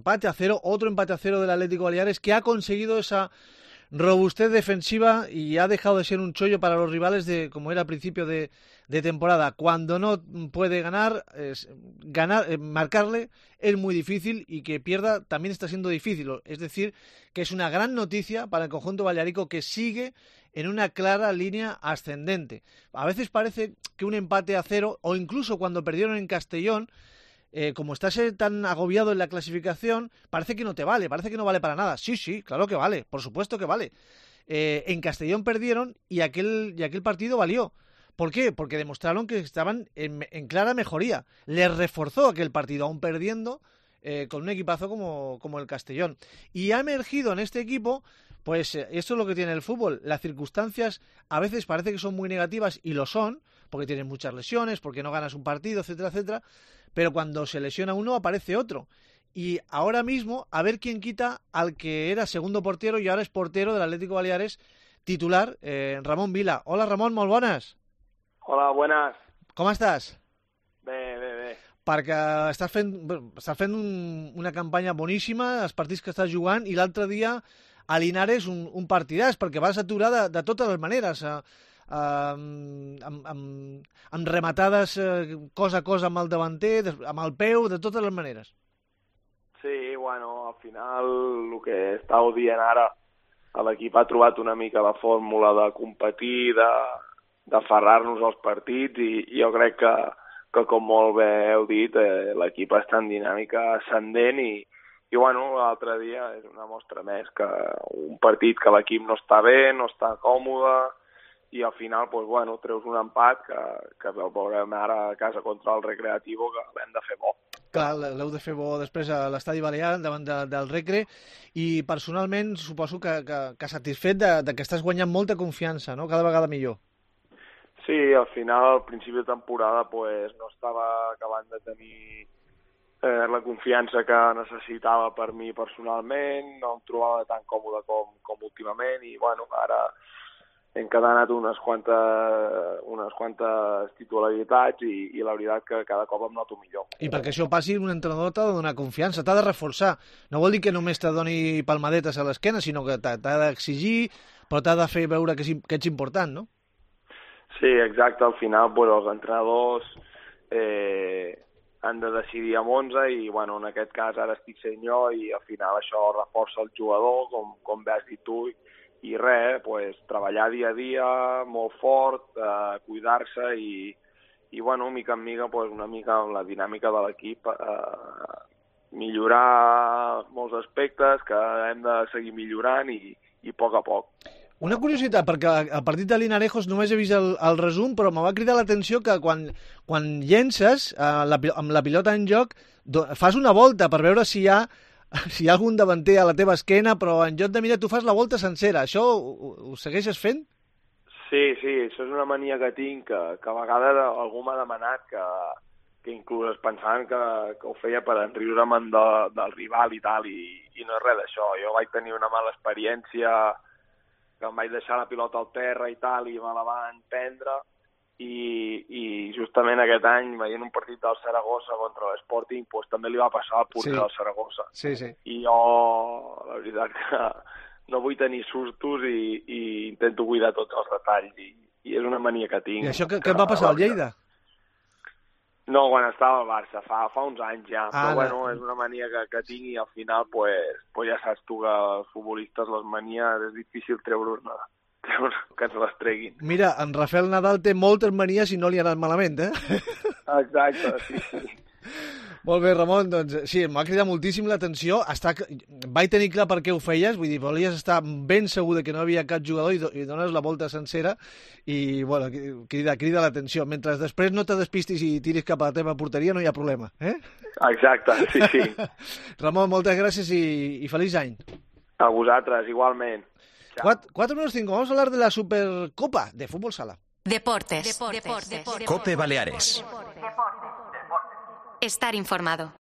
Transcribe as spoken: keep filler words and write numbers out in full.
Empate a cero, otro empate a cero del Atlético Baleares, que ha conseguido esa robustez defensiva y ha dejado de ser un chollo para los rivales de como era al principio de, de temporada. Cuando no puede ganar, es, ganar eh, marcarle es muy difícil, y que pierda también está siendo difícil. Es decir, que es una gran noticia para el conjunto balearico, que sigue en una clara línea ascendente. A veces parece que un empate a cero, o incluso cuando perdieron en Castellón, Eh, como estás tan agobiado en la clasificación, parece que no te vale, parece que no vale para nada. Sí, sí, claro que vale, por supuesto que vale. Eh, en Castellón perdieron y aquel, y aquel partido valió. ¿Por qué? Porque demostraron que estaban en, en clara mejoría. Les reforzó aquel partido, aún perdiendo, eh, con un equipazo como, como el Castellón. Y ha emergido en este equipo, pues eh, esto es lo que tiene el fútbol. Las circunstancias a veces parece que son muy negativas, y lo son, porque tienes muchas lesiones, porque no ganas un partido, etcétera, etcétera. Pero cuando se lesiona uno, aparece otro. Y ahora mismo, a ver quién quita al que era segundo portero y ahora es portero del Atlético Baleares, titular, eh, Ramon Vila. Hola, Ramon, molt bones. Hola, buenas. Com estàs? Bé, bé, bé. Perquè estàs fent, estàs fent un, una campanya boníssima, els partits que estàs jugant, i l'altre dia a Linares un, un partidàs, perquè vas aturar de, de totes les maneres. Eh, Uh, amb, amb, amb rematades uh, cosa a cosa amb el davanter, amb el peu, de totes les maneres. Sí, bueno, al final el que estàu dient ara, l'equip ha trobat una mica la fórmula de competir, de, d'aferrar-nos als partits, i, i jo crec que, que com molt bé heu dit, eh, l'equip està en dinàmica ascendent, i, i bueno, l'altre dia és una mostra més que un partit que l'equip no està bé, no està còmode, i al final, pues, bueno, treus un empat que, que veurem ara a casa contra el Recreativo, que l'hem de fer bo. Clar, l'heu de fer bo després a l'Estadi Balear, davant de, del Recre, i personalment suposo que, que, que satisfet de, de que estàs guanyant molta confiança, no? Cada vegada millor. Sí, al final, al principi de temporada, pues, no estava acabant de tenir eh, la confiança que necessitava per mi personalment, no em trobava tan còmode com, com últimament, i bueno, ara hem encadenat unes quantes, unes quantes titularitats, i, i la veritat que cada cop em noto millor. I perquè això passi, un entrenador t'ha de donar confiança, t'ha de reforçar. No vol dir que només te doni palmadetes a l'esquena, sinó que t'ha d'exigir, però t'ha de fer veure que, que ets important, no? Sí, exacte. Al final, pues, els entrenadors eh, han de decidir amb onze, i bueno, en aquest cas ara estic sent jo, i al final això reforça el jugador, com, com bé has dit tu, i res, pues, treballar dia a dia, molt fort, eh, cuidar-se, i, i bueno, mica en mica, pues, una mica amb la dinàmica de l'equip, eh, millorar molts aspectes que hem de seguir millorant, i, i a poc a poc. Una curiositat, perquè al partit de Linarejos només he vist el, el resum, però me va cridar l'atenció que quan, quan llences eh, la, amb la pilota en joc, do, fas una volta per veure si hi ha si hi ha algun davanter a la teva esquena, però en lloc de mirar tu fas la volta sencera. Això ho, ho segueixes fent? Sí, sí, això és una mania que tinc, que, que a vegades algú m'ha demanat, que, que inclús es pensaven que, que ho feia per enriure'm de, del rival i tal, i, i no és res d'això. Jo vaig tenir una mala experiència, que em vaig deixar la pilota al terra i tal, i me la van prendre, i, i justament aquest any, veient un partit del Saragossa contra l'Sporting, pues, també li va passar al porter sí. del Saragossa. Sí, sí. I jo, la veritat que no vull tenir sustos, i, i intento cuidar tots els detalls, i, i és una mania que tinc. I això que, que et va passar al Lleida? No, quan estava al Barça, fa, fa uns anys ja, ah, però bueno, és una mania que, que tinc, i al final, pues, pues ja saps tu que els futbolistes, les manies, és difícil treure-ne, treure, que ens les treguin. Mira, en Rafael Nadal té moltes manies i no li ha anat malament, eh? Exacte, sí, sí. Molt bé, Ramon, doncs sí, m'ha cridat moltíssim l'atenció. Està... Vaig tenir clar per què ho feies, vull dir, volies estar ben segur de que no havia cap jugador, i, do i dones la volta sencera, i bueno, crida, crida l'atenció. Mentre després no te despistis i tiris cap a la teva porteria, no hi ha problema, eh? Exacte, sí, sí. Ramon, moltes gràcies i, i feliç any. A vosaltres, igualment. cuatro menos cinco, vamos a hablar de la Supercopa de Fútbol Sala. Deportes. Deportes. Deportes. Cope Baleares. Estar informado.